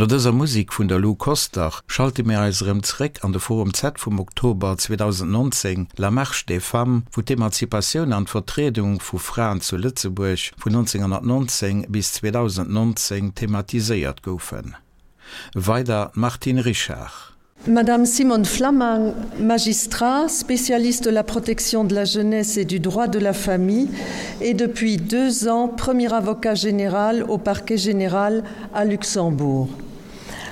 dëser Musik vun der Lou Koster schalte mir eis erëm zréck an de Forum Z vum Oktober zweedausendnonzéng, La Marche des femmes, wou d'Emanzipatioun an d'Vertriedung vu Fraen zu Lëtzebuerg vun nonzénghonnertnonzéng bis zweedausendnonzéng thematiséiert goufen. Weider d'Martine Richard. Madame Simone Flammang, magistrat, spécialiste de la protection de la jeunesse et du droit de la famille et depuis deux ans premier avocat général au parquet général à Luxembourg.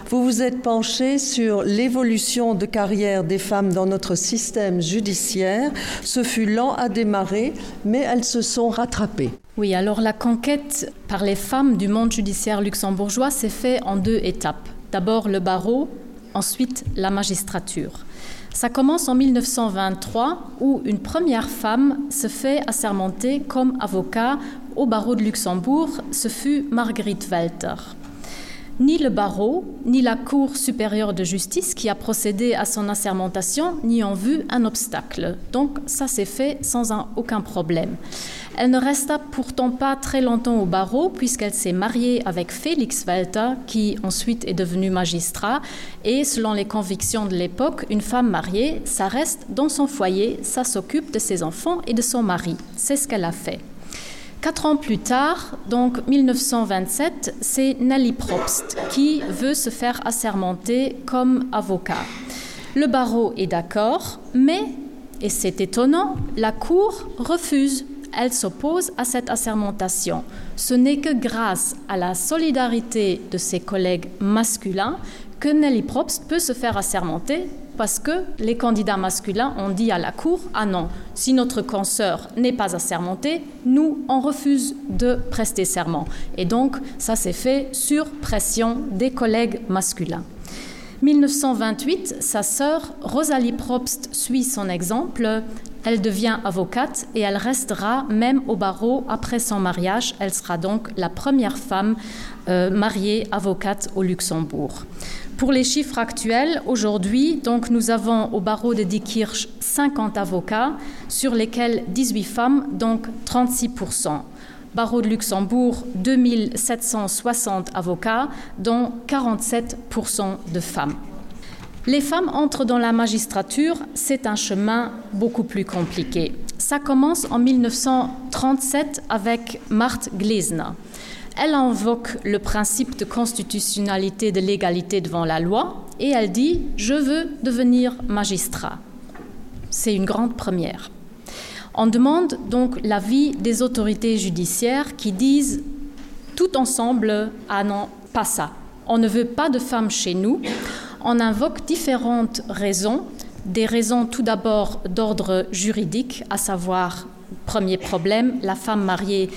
Vous vous êtes penché sur l'évolution de carrière des femmes dans notre système judiciaire. Ce fut lent à démarrer, mais elles se sont rattrapées. Oui, alors la conquête par les femmes du monde judiciaire luxembourgeois s'est fait en deux étapes. D'abord le barreau, ensuite la magistrature. Ça commence en mille neuf cent vingt-trois où une première femme se fait assermenter comme avocat au barreau de Luxembourg, ce fut Marguerite Welter. Ni le barreau, ni la Cour supérieure de justice qui a procédé à son assermentation n'y ont vu un obstacle. Donc ça s'est fait sans un, aucun problème. Elle ne resta pourtant pas très longtemps au barreau puisqu'elle s'est mariée avec Félix Welter qui ensuite est devenu magistrat et selon les convictions de l'époque, une femme mariée, ça reste dans son foyer, ça s'occupe de ses enfants et de son mari. C'est ce qu'elle a fait. Quatre ans plus tard, donc mille neuf cent vingt-sept, c'est Nelly Probst qui veut se faire assermenter comme avocat. Le barreau est d'accord, mais, et c'est étonnant, la Cour refuse. Elle s'oppose à cette assermentation. Ce n'est que grâce à la solidarité de ses collègues masculins que Nelly Probst peut se faire assermenter parce que les candidats masculins ont dit à la Cour « Ah non, si notre consoeur n'est pas assermentée, nous, on refuse de prester serment. » Et donc, ça s'est fait sur pression des collègues masculins. mille neuf cent vingt-huit, sa sœur Rosalie Probst suit son exemple. Elle devient avocate et elle restera même au barreau après son mariage. Elle sera donc la première femme, euh, mariée avocate au Luxembourg. Pour les chiffres actuels, aujourd'hui, donc, nous avons au barreau de Diekirch cinquante avocats, sur lesquels dix-huit femmes, donc trente-six pour cent. Barreau de Luxembourg, deux mille sept cent soixante avocats, dont quarante-sept pour cent de femmes. Les femmes entrent dans la magistrature, c'est un chemin beaucoup plus compliqué. Ça commence en mille neuf cent trente-sept avec Marthe Glesener. Elle invoque le principe de constitutionnalité de l'égalité devant la loi et elle dit « Je veux devenir magistrat ». C'est une grande première. On demande donc l'avis des autorités judiciaires qui disent tout ensemble « Ah non, pas ça. On ne veut pas de femmes chez nous ». On invoque différentes raisons, des raisons tout d'abord d'ordre juridique, à savoir, premier problème, la femme mariée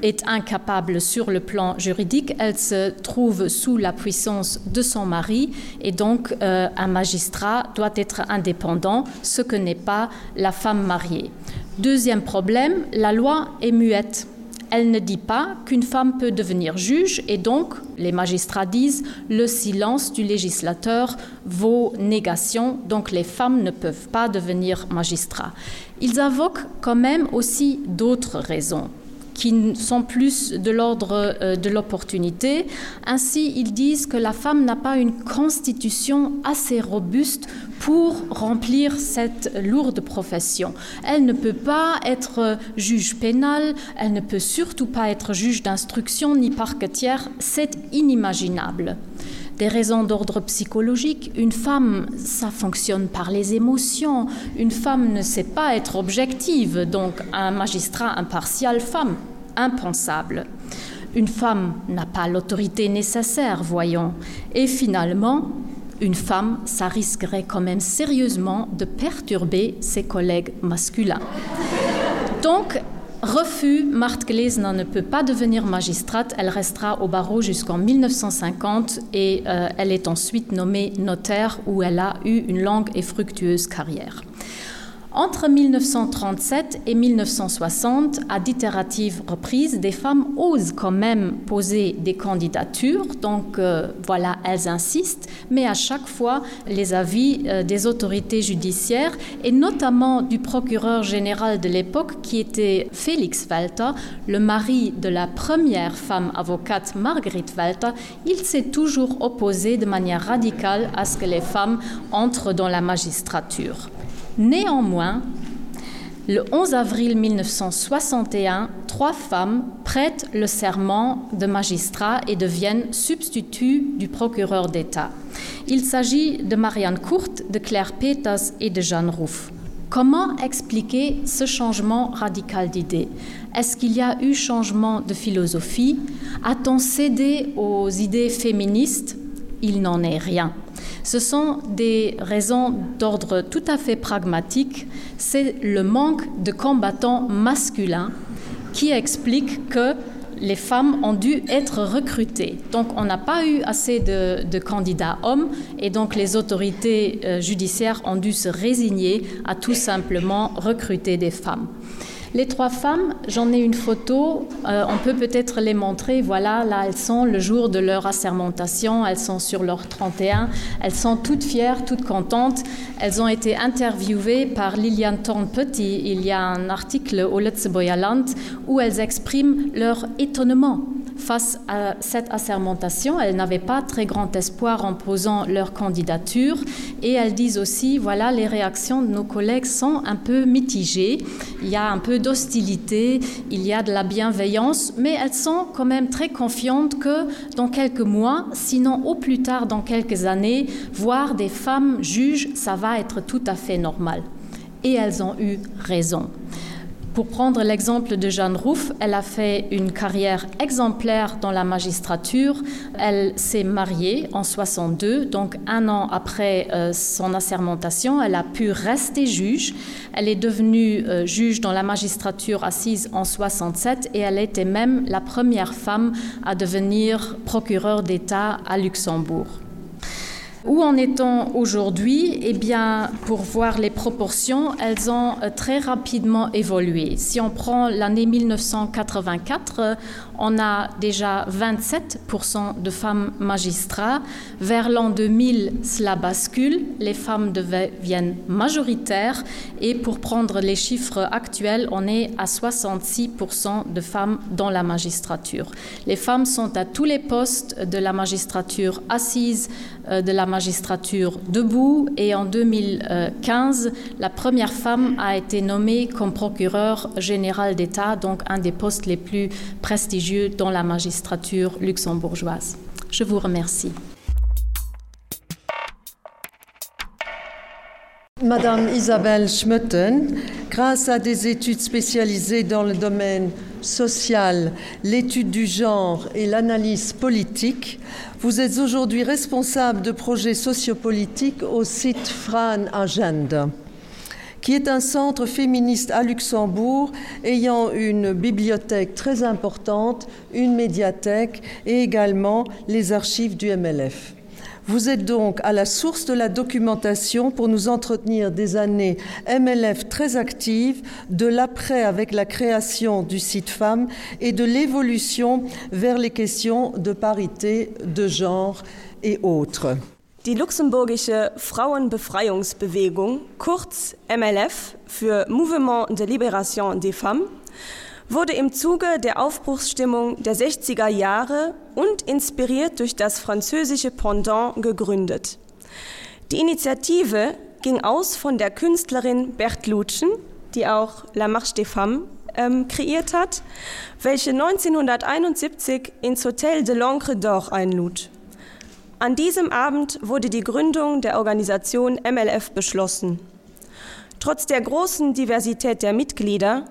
est incapable sur le plan juridique, elle se trouve sous la puissance de son mari et donc, euh, un magistrat doit être indépendant, ce que n'est pas la femme mariée. Deuxième problème, la loi est muette. Elle ne dit pas qu'une femme peut devenir juge et donc, les magistrats disent, le silence du législateur vaut négation, donc les femmes ne peuvent pas devenir magistrats. Ils invoquent quand même aussi d'autres raisons qui sont plus de l'ordre, euh, de l'opportunité. Ainsi, ils disent que la femme n'a pas une constitution assez robuste pour remplir cette lourde profession. Elle ne peut pas être juge pénal, elle ne peut surtout pas être juge d'instruction ni parquetière, c'est inimaginable. Des raisons d'ordre psychologique, une femme, ça fonctionne par les émotions, une femme ne sait pas être objective, donc un magistrat impartial femme, impensable. Une femme n'a pas l'autorité nécessaire, voyons. Et finalement, une femme, ça risquerait quand même sérieusement de perturber ses collègues masculins. Donc, refus, Marthe Glesener ne peut pas devenir magistrate, elle restera au barreau jusqu'en mille neuf cent cinquante et, euh, elle est ensuite nommée notaire où elle a eu une longue et fructueuse carrière. Entre mille neuf cent trente-sept et mille neuf cent soixante, à d'itérative reprises, des femmes osent quand même poser des candidatures, donc euh, voilà, elles insistent, mais à chaque fois les avis euh, des autorités judiciaires et notamment du procureur général de l'époque qui était Félix Walter, le mari de la première femme avocate Marguerite Walter, il s'est toujours opposé de manière radicale à ce que les femmes entrent dans la magistrature. Néanmoins, le onze avril mille neuf cent soixante et un, trois femmes prêtent le serment de magistrat et deviennent substituts du procureur d'État. Il s'agit de Marianne Courte, de Claire Peters et de Jeanne Rouff. Comment expliquer ce changement radical d'idées? Est-ce qu'il y a eu changement de philosophie? A-t-on cédé aux idées féministes? Il n'en est rien. Ce sont des raisons d'ordre tout à fait pragmatique. C'est le manque de combattants masculins qui explique que les femmes ont dû être recrutées. Donc on n'a pas eu assez de, de candidats hommes et donc les autorités, euh, judiciaires ont dû se résigner à tout simplement recruter des femmes. Les trois femmes, j'en ai une photo, euh, on peut peut-être les montrer, voilà, là elles sont le jour de leur assermentation, elles sont sur leur trente et un, elles sont toutes fières, toutes contentes, elles ont été interviewées par Liliane Thorne-Petit, il y a un article au Lëtzebuerger Land où elles expriment leur étonnement face à cette assermentation. Elles n'avaient pas très grand espoir en posant leur candidature et elles disent aussi, voilà, les réactions de nos collègues sont un peu mitigées, il y a un peu d'hostilité, il y a de la bienveillance, mais elles sont quand même très confiantes que dans quelques mois, sinon au plus tard dans quelques années, voir des femmes juges, ça va être tout à fait normal. Et elles ont eu raison. Pour prendre l'exemple de Jeanne Rouff, elle a fait une carrière exemplaire dans la magistrature. Elle s'est mariée en soixante-deux, donc un an après, euh, son assermentation, elle a pu rester juge. Elle est devenue, euh, juge dans la magistrature assise en soixante-sept et elle était même la première femme à devenir procureure d'État à Luxembourg. Où en est-on aujourd'hui? Eh bien, pour voir les proportions, elles ont, euh, très rapidement évolué. Si on prend l'année mille neuf cent quatre-vingt-quatre, on a déjà vingt-sept pour cent de femmes magistrats. Vers l'an deux mille, cela bascule. Les femmes deviennent majoritaires. Et pour prendre les chiffres actuels, on est à soixante-six pour cent de femmes dans la magistrature. Les femmes sont à tous les postes de la magistrature assise, euh, de la magistrature debout, et en deux mille quinze, la première femme a été nommée comme procureur général d'État, donc un des postes les plus prestigieux dans la magistrature luxembourgeoise. Je vous remercie. Madame Isabelle Schmoetten, grâce à des études spécialisées dans le domaine social, l'étude du genre et l'analyse politique, vous êtes aujourd'hui responsable de projets sociopolitiques au site Fraen Agenda, qui est un centre féministe à Luxembourg ayant une bibliothèque très importante, une médiathèque et également les archives du M L F. Vous êtes donc à la source de la documentation pour nous entretenir des années M L F très actives, de l'après avec la création du site Femmes et de l'évolution vers les questions de parité, de genre et autres. Die luxemburgische Frauenbefreiungsbewegung, kurz M L F für Mouvement de Libération des Femmes, wurde im Zuge der Aufbruchsstimmung der sechziger Jahre und inspiriert durch das französische Pendant gegründet. Die Initiative ging aus von der Künstlerin Berthe Lutchen, die auch La Marche des Femmes, ähm, kreiert hat, welche neunzehnhunderteinundsiebzig ins Hotel de l'Ancre d'Or einlud. An diesem Abend wurde die Gründung der Organisation M L F beschlossen. Trotz der großen Diversität der Mitglieder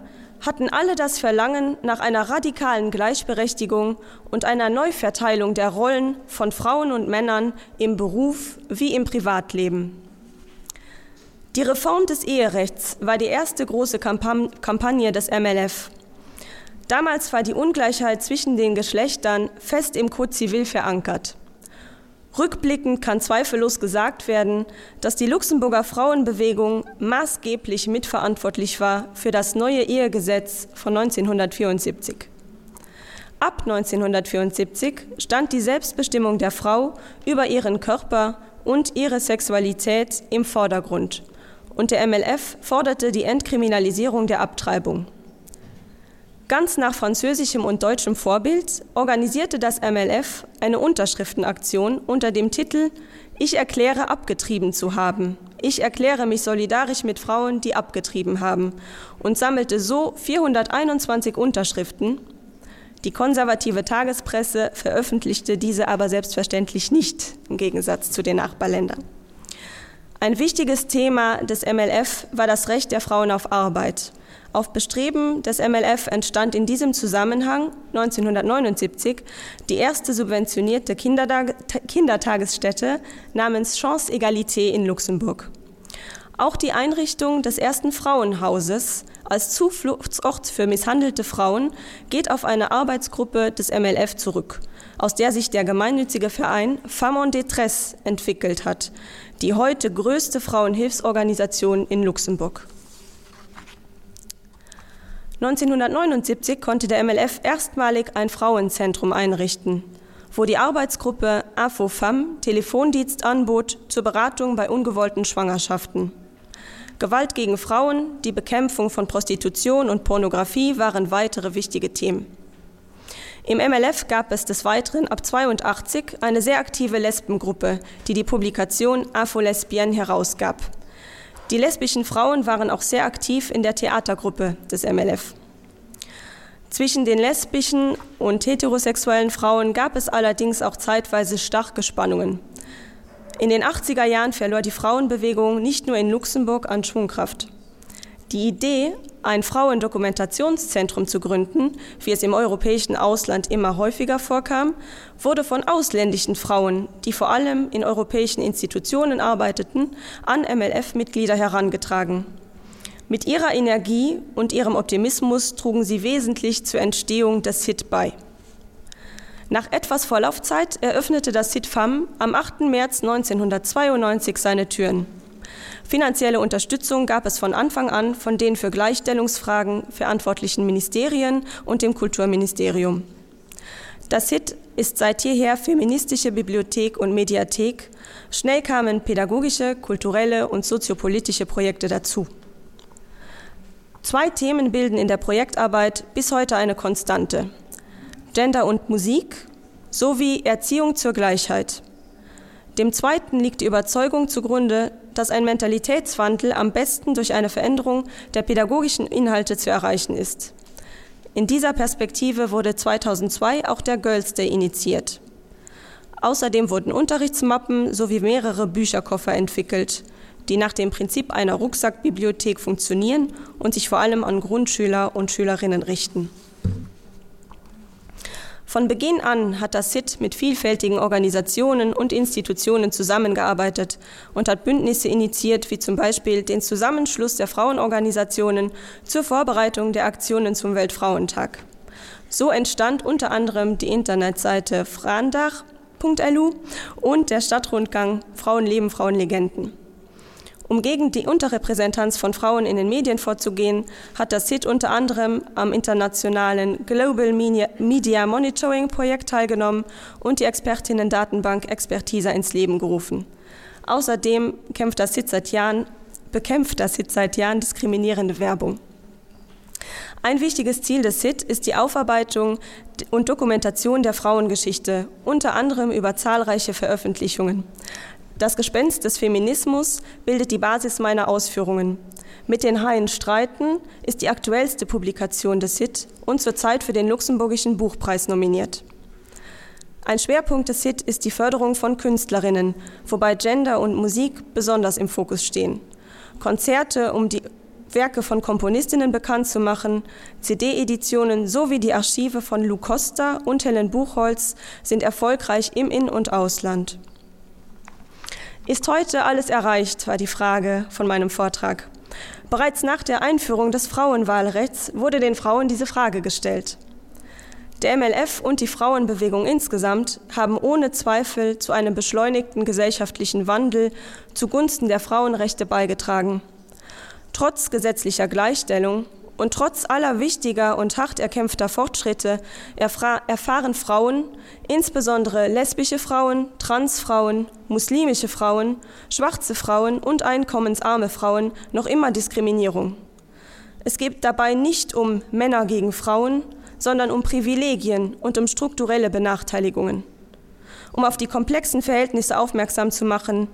hatten alle das Verlangen nach einer radikalen Gleichberechtigung und einer Neuverteilung der Rollen von Frauen und Männern im Beruf wie im Privatleben. Die Reform des Eherechts war die erste große Kampam-, Kampagne des M L F. Damals war die Ungleichheit zwischen den Geschlechtern fest im Code Civil verankert. Rückblickend kann zweifellos gesagt werden, dass die Luxemburger Frauenbewegung maßgeblich mitverantwortlich war für das neue Ehegesetz von neunzehnhundertvierundsiebzig. Ab neunzehnhundertvierundsiebzig stand die Selbstbestimmung der Frau über ihren Körper und ihre Sexualität im Vordergrund und der M L F forderte die Entkriminalisierung der Abtreibung. Ganz nach französischem und deutschem Vorbild organisierte das M L F eine Unterschriftenaktion unter dem Titel Ich erkläre abgetrieben zu haben. Ich erkläre mich solidarisch mit Frauen, die abgetrieben haben und sammelte so vierhunderteinundzwanzig Unterschriften. Die konservative Tagespresse veröffentlichte diese aber selbstverständlich nicht, im Gegensatz zu den Nachbarländern. Ein wichtiges Thema des M L F war das Recht der Frauen auf Arbeit. Auf Bestreben des M L F entstand in diesem Zusammenhang neunzehnhundertneunundsiebzig die erste subventionierte Kindertag-, Kindertagesstätte namens Chance Egalité in Luxemburg. Auch die Einrichtung des ersten Frauenhauses als Zufluchtsort für misshandelte Frauen geht auf eine Arbeitsgruppe des M L F zurück, aus der sich der gemeinnützige Verein Femmes en Détresse entwickelt hat, die heute größte Frauenhilfsorganisation in Luxemburg. neunzehnhundertneunundsiebzig konnte der M L F erstmalig ein Frauenzentrum einrichten, wo die Arbeitsgruppe InfoFemme Telefondienst anbot zur Beratung bei ungewollten Schwangerschaften. Gewalt gegen Frauen, die Bekämpfung von Prostitution und Pornografie waren weitere wichtige Themen. Im M L F gab es des Weiteren ab zweiundachtzig eine sehr aktive Lesbengruppe, die die Publikation Info Lesbienne herausgab. Die lesbischen Frauen waren auch sehr aktiv in der Theatergruppe des M L F. Zwischen den lesbischen und heterosexuellen Frauen gab es allerdings auch zeitweise starke Spannungen. In den achtziger Jahren verlor die Frauenbewegung nicht nur in Luxemburg an Schwungkraft. Die Idee, ein Frauendokumentationszentrum zu gründen, wie es im europäischen Ausland immer häufiger vorkam, wurde von ausländischen Frauen, die vor allem in europäischen Institutionen arbeiteten, an M L F-Mitglieder herangetragen. Mit ihrer Energie und ihrem Optimismus trugen sie wesentlich zur Entstehung des S I T bei. Nach etwas Vorlaufzeit eröffnete das S I T Femmes am achten März neunzehnhundertzweiundneunzig seine Türen. Finanzielle Unterstützung gab es von Anfang an von den für Gleichstellungsfragen verantwortlichen Ministerien und dem Kulturministerium. Das S I T ist seit jeher feministische Bibliothek und Mediathek. Schnell kamen pädagogische, kulturelle und soziopolitische Projekte dazu. Zwei Themen bilden in der Projektarbeit bis heute eine Konstante: Gender und Musik sowie Erziehung zur Gleichheit. Dem Zweiten liegt die Überzeugung zugrunde, dass ein Mentalitätswandel am besten durch eine Veränderung der pädagogischen Inhalte zu erreichen ist. In dieser Perspektive wurde zweitausendzwei auch der Girls Day initiiert. Außerdem wurden Unterrichtsmappen sowie mehrere Bücherkoffer entwickelt, die nach dem Prinzip einer Rucksackbibliothek funktionieren und sich vor allem an Grundschüler und Schülerinnen richten. Von Beginn an hat das S I T mit vielfältigen Organisationen und Institutionen zusammengearbeitet und hat Bündnisse initiiert, wie zum Beispiel den Zusammenschluss der Frauenorganisationen zur Vorbereitung der Aktionen zum Weltfrauentag. So entstand unter anderem die Internetseite frauendag punkt L U und der Stadtrundgang Frauen leben, Frauen Legenden. Um gegen die Unterrepräsentanz von Frauen in den Medien vorzugehen, hat das S I T unter anderem am internationalen Global Media, Media Monitoring Projekt teilgenommen und die Expertinnen-Datenbank Expertisa ins Leben gerufen. Außerdem kämpft das S I T seit Jahren, bekämpft das S I T seit Jahren diskriminierende Werbung. Ein wichtiges Ziel des S I T ist die Aufarbeitung und Dokumentation der Frauengeschichte, unter anderem über zahlreiche Veröffentlichungen. Das Gespenst des Feminismus bildet die Basis meiner Ausführungen. Mit den Haien streiten ist die aktuellste Publikation des S I T und zurzeit für den Luxemburgischen Buchpreis nominiert. Ein Schwerpunkt des S I T ist die Förderung von Künstlerinnen, wobei Gender und Musik besonders im Fokus stehen. Konzerte, um die Werke von Komponistinnen bekannt zu machen, C D-Editionen sowie die Archive von Lou Koster und Helen Buchholz sind erfolgreich im In- und Ausland. Ist heute alles erreicht, war die Frage von meinem Vortrag. Bereits nach der Einführung des Frauenwahlrechts wurde den Frauen diese Frage gestellt. Der M L F und die Frauenbewegung insgesamt haben ohne Zweifel zu einem beschleunigten gesellschaftlichen Wandel zugunsten der Frauenrechte beigetragen. Trotz gesetzlicher Gleichstellung und trotz aller wichtiger und hart erkämpfter Fortschritte erfahren Frauen, insbesondere lesbische Frauen, Transfrauen, muslimische Frauen, schwarze Frauen und einkommensarme Frauen noch immer Diskriminierung. Es geht dabei nicht um Männer gegen Frauen, sondern um Privilegien und um strukturelle Benachteiligungen. Um auf die komplexen Verhältnisse aufmerksam zu machen,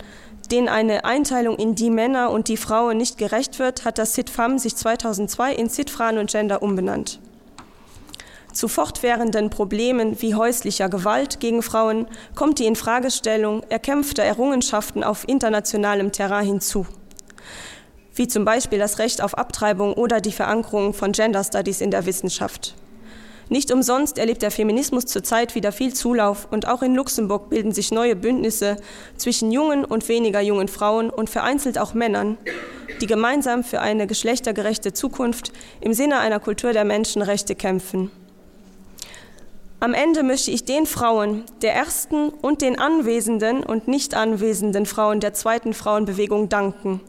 denen eine Einteilung in die Männer und die Frauen nicht gerecht wird, hat das SITFAM sich zweitausendzwei in Sitfran und Gender umbenannt. Zu fortwährenden Problemen wie häuslicher Gewalt gegen Frauen kommt die Infragestellung erkämpfter Errungenschaften auf internationalem Terrain hinzu, wie zum Beispiel das Recht auf Abtreibung oder die Verankerung von Gender Studies in der Wissenschaft. Nicht umsonst erlebt der Feminismus zurzeit wieder viel Zulauf und auch in Luxemburg bilden sich neue Bündnisse zwischen jungen und weniger jungen Frauen und vereinzelt auch Männern, die gemeinsam für eine geschlechtergerechte Zukunft im Sinne einer Kultur der Menschenrechte kämpfen. Am Ende möchte ich den Frauen der ersten und den anwesenden und nicht anwesenden Frauen der zweiten Frauenbewegung danken.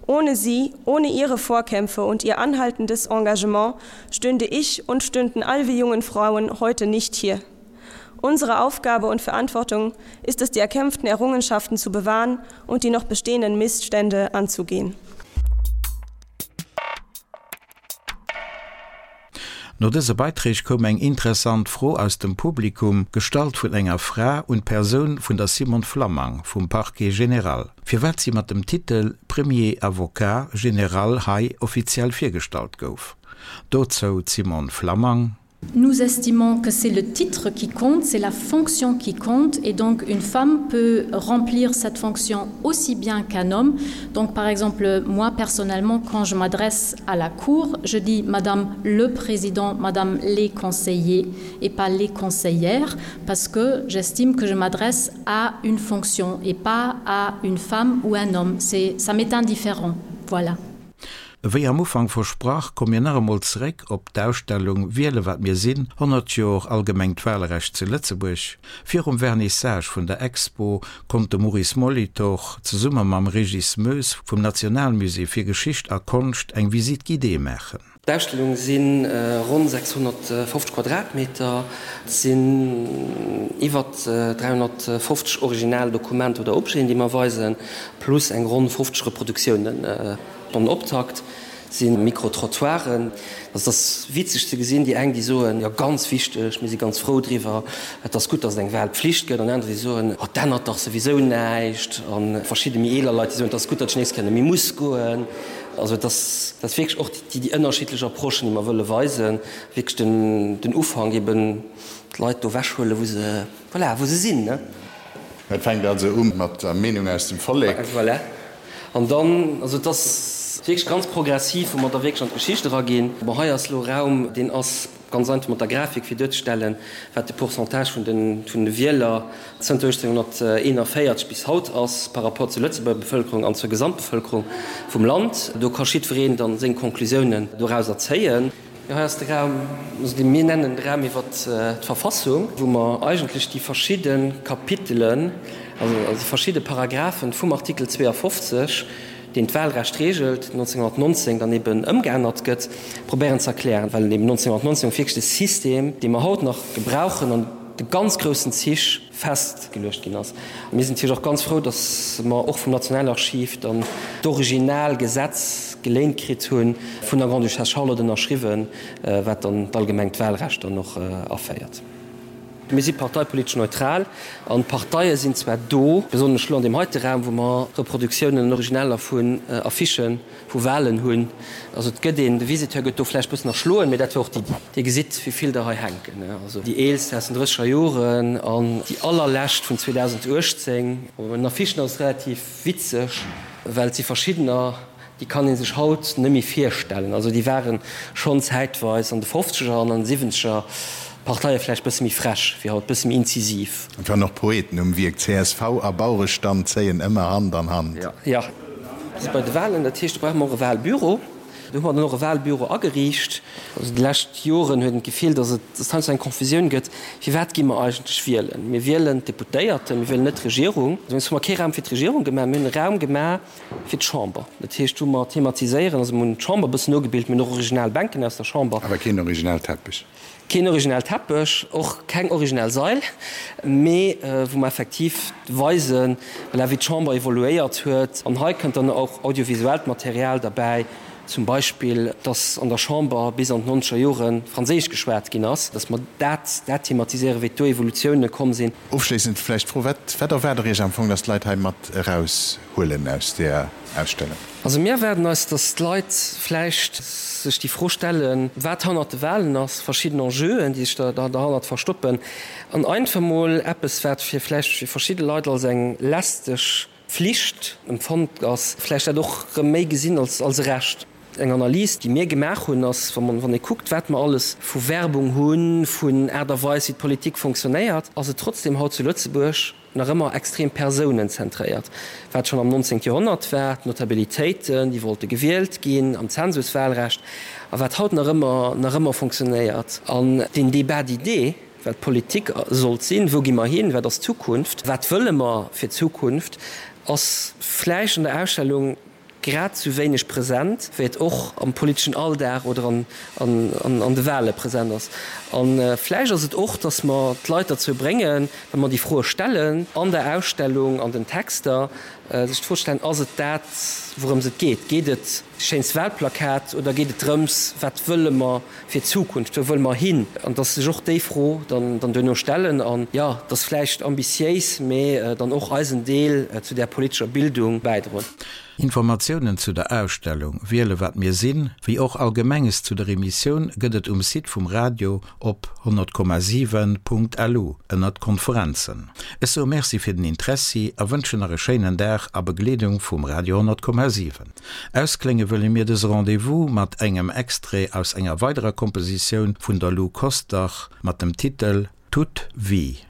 Ohne sie, ohne ihre Vorkämpfe und ihr anhaltendes Engagement stünde ich und stünden all wir jungen Frauen heute nicht hier. Unsere Aufgabe und Verantwortung ist es, die erkämpften Errungenschaften zu bewahren und die noch bestehenden Missstände anzugehen. No dëse Beiträg koum eng interessant Fro aus dem Publikum, gestallt vun enger Fra, un d'Persoun vun der Simone Flammang vum Parquet général, firwat si mat dem Titel Premier avocat général hei offiziell virgestallt gouf. Dozou d'Simone Flammang. Nous estimons que c'est le titre qui compte, c'est la fonction qui compte et donc une femme peut remplir cette fonction aussi bien qu'un homme. Donc par exemple, moi personnellement, quand je m'adresse à la cour, je dis madame le président, madame les conseillers et pas les conseillères parce que j'estime que je m'adresse à une fonction et pas à une femme ou un homme. C'est ça m'est indifférent. Voilà. Wéi am Ufank versprach, komme mir nach emol zeréck op d'Ausstellung Wiele wat mir sinn, honnert Joer allgemengt Walrecht zu Lëtzebuerg. Virum Vernissage vun der Expo konnt de Maurice Molitor zesumme mam Régis Moes vum Nationalmusée fir Geschicht a Konscht eng Visite guidée maachen. D'Ausstellung si ronn sechshonnertfofzeg Quadratmeter, et sinn iwwer dräihonnertfofzeg original Dokumenter oder Objeten, déi mer weisen, plus eng ronn fofzeg Reproduktiounen. Den Optakt si Micro-Trottoiren. Also et ass witzeg ze gesinn, déi eng, déi soen, jo ganz wichteg, mir si ganz frou driwwer, et ass gutt, datt et eng Wahlpflicht gëtt, an aner, déi soen, oh, et ännert dach souwisou näischt, a verschidde méi eeler Leit, déi soen, et ass gutt, datt ech nees kënne méi muss goen. Also et ass, et ass wierklech och déi, déi ënnerschiddlech Approchen, déi mer wëlle weisen, wierklech den, den Ufank eben d'Leit do ewechhuelen, wou se, voilà, wou se sinn, ne. Et fänkt also u mat der Meenung aus dem Vollek. Voilà. An dann, also et ass wierklech ganz progressiv, wou mer da wierklech an d'Geschicht eraginn. Bon, hei ass elo Raum, deen ass ganz einfach mat der Grafik, fir duerzestellen, wat de Pourcentage vun de, vun de Wieler zënter uechtzénhonnerteenanvéierzeg bis haut ass par rapport zur Lëtzebuerger Bevëlkerung an zur Gesamtbevëlkerung vum Land. Do ka jiddwereen dann seng Conclusiounen dorauser zéien. Jo, hei ass de Raum, also dee mir nennen de Raum iwwert d'Verfassung, wou mer eigentlech déi verschidde Kapitelen, also déi verschidde Paragraphen vum Artikel zweeafofzeg, deen d'Wahlrecht regelt, neunzehnhundertneunzehn dann eben ëmgeännert gëtt, probéieren ze erklären, well eben neunzehnhundertneunzehn wierklech de System, dee mer haut nach gebrauchen, an de ganz groussen Zich festgeluecht ginn ass. Mir sinn natierlech och ganz frou, datt mer och vum Nationalarchiv dann d'original Gesetz geléint kritt hunn, vun der Grande-Duchesse Charlotte ënnerschriwwen, wat dann d'allgemengt Wahlrecht dann och aféiert. Mir si parteipolitesch neutral an d'Parteie sinn zwar do, besonnesch elo an deem heite Raum, wou mer Reproduktiounen an Originaler vun Affichë vu Wahlen hunn. Also et gëtt een, de Visiteur gëtt do vläicht bëssen erschloen, mee dat war och d'Iddi. Dir gesitt, wéi vill der hei hänken, also déi eelst aus den drësseger Joren an déi allerlescht vun zweedausenduechtzéng. Bei den Affichen ass et relativ witzeg, well et si verschiddener, déi kann ee sech haut net méi virstellen. Also déi ware schonn zäitweis an de Fofzeger an an de Siwwenzeger Parteie vläicht bësse méi frech wéi haut, bësse méi inzisiv. Et waren och Poeten um Wierk, csv a Bauerestand zéien ëmmer Hand an Hand. Jo, jo. Bei de Wahlen, dat heescht, do brauche mer och e Wahlbüro. Do hu mer dann och e Wahlbüro ageriicht. Also déi lescht Joren huet een d'Gefill, datt et datt heiansdo eng Confusioun gëtt, Firwat gi mer eigentlech wielen? Mir wielen d'Deputéierten, mir wielen net d'Regierung. Dowéinst hu mer kee Raum fir d'Regierung gemaach, mir hunn e Raum gemaach fir d'Chamber. Dat heescht, wou mer thematiséieren, also mir hunn d'Chamber e bëssen nogebilt, mir hunn och original Bänken aus der Chamber. Awer keen original Teppech. Keen original Teppech, och keng original Sail, mee wou mer effektiv weisen, voilà, wéi d'Chamber evoluéiert huet. An hei kënnt dann och audiovisuellt Material derbäi, zum Beispill, dass an der Chamber bis an d'nonzeger Jore Franséisch geschwat ginn ass, dass mer dat dat thematiséieren, wéi do Evolutiounen komm sinn. Ofschléissend vläicht d'Fro, Wat wat erwaart Der Iech am Fong, dass d'Leit hei mat eraushuelen aus där Ausstellung? Also mir erwaarden eis, dass d'Leit vläicht sech déi Fro stellen, wat hannert de Wahlen ass, verschidden Enjeuen, déi sech derhannert verstoppen, an einfach mol eppes, wat fir vläicht fir verschidde Leit als eng lästeg Pflicht empfonnt ass, vläicht dat och erëm méi gesinn als als e Recht. Eng Analys, déi mir gemaach hunn, ass, wa wann ee kuckt, wat mer alles vu Werbung hunn, vun Aart a Weis, wéi d'Politik fonctionnéiert, ass et trotzdem haut zu Lëtzebuerg nach ëmmer extrem persounenzentréiert, wat schonn am nonzéngte Joerhonnert war, d'Notabilitéiten, déi wollte gewielt ginn, am Zensuswahlrecht, a wat haut nach ëmmer nach ëmmer fonctionnéiert. An deen Débat d'idées, wat Politik sollt sinn, wou gi mer hin, wat ass d'Zukunft, wat wëlle mer fir d'Zukunft, ass vläicht an der Ausstellung grad sou wéineg present, wéi et och am politeschen Alldag oder an, an, an, an de Wahle present ass. An vläicht ass et och, dass mer d'Leit derzou bréngen, wa mer déi Froe stellen an der Ausstellung, an den Texter, sech d'Fro stellen, Ass et dat, wourëms et geet? Geet et schéinst Wahlplakat oder geet et drëms, wat wëlle mer fir d'Zukunft, wou wëlle mer hin? An dass sech och déi Fro dann, dann duerno stellen an, jo, dass vläicht ambitiéis, mee dann och eisen Deel zu där politescher Bildung bäidroen. Informatiounen zu der Ausstellung Wiele wat mir sinn, wéi och Allgemenges zu der Emissioun gëtt et um Site vum Radio op honnert Komma siwen Punkt lu ënnert Konferenzen. Ech soe Merci fir den Interessi a wënschen nach e schéinen Dag a Begleedung vum Radio honnert Komma siwen. Ausklénge wëlle mir dëse Rendez-vous mat engem Extrait aus enger weiderer Kompositioun vun der Lou Koster mat dem Titel Toute vie.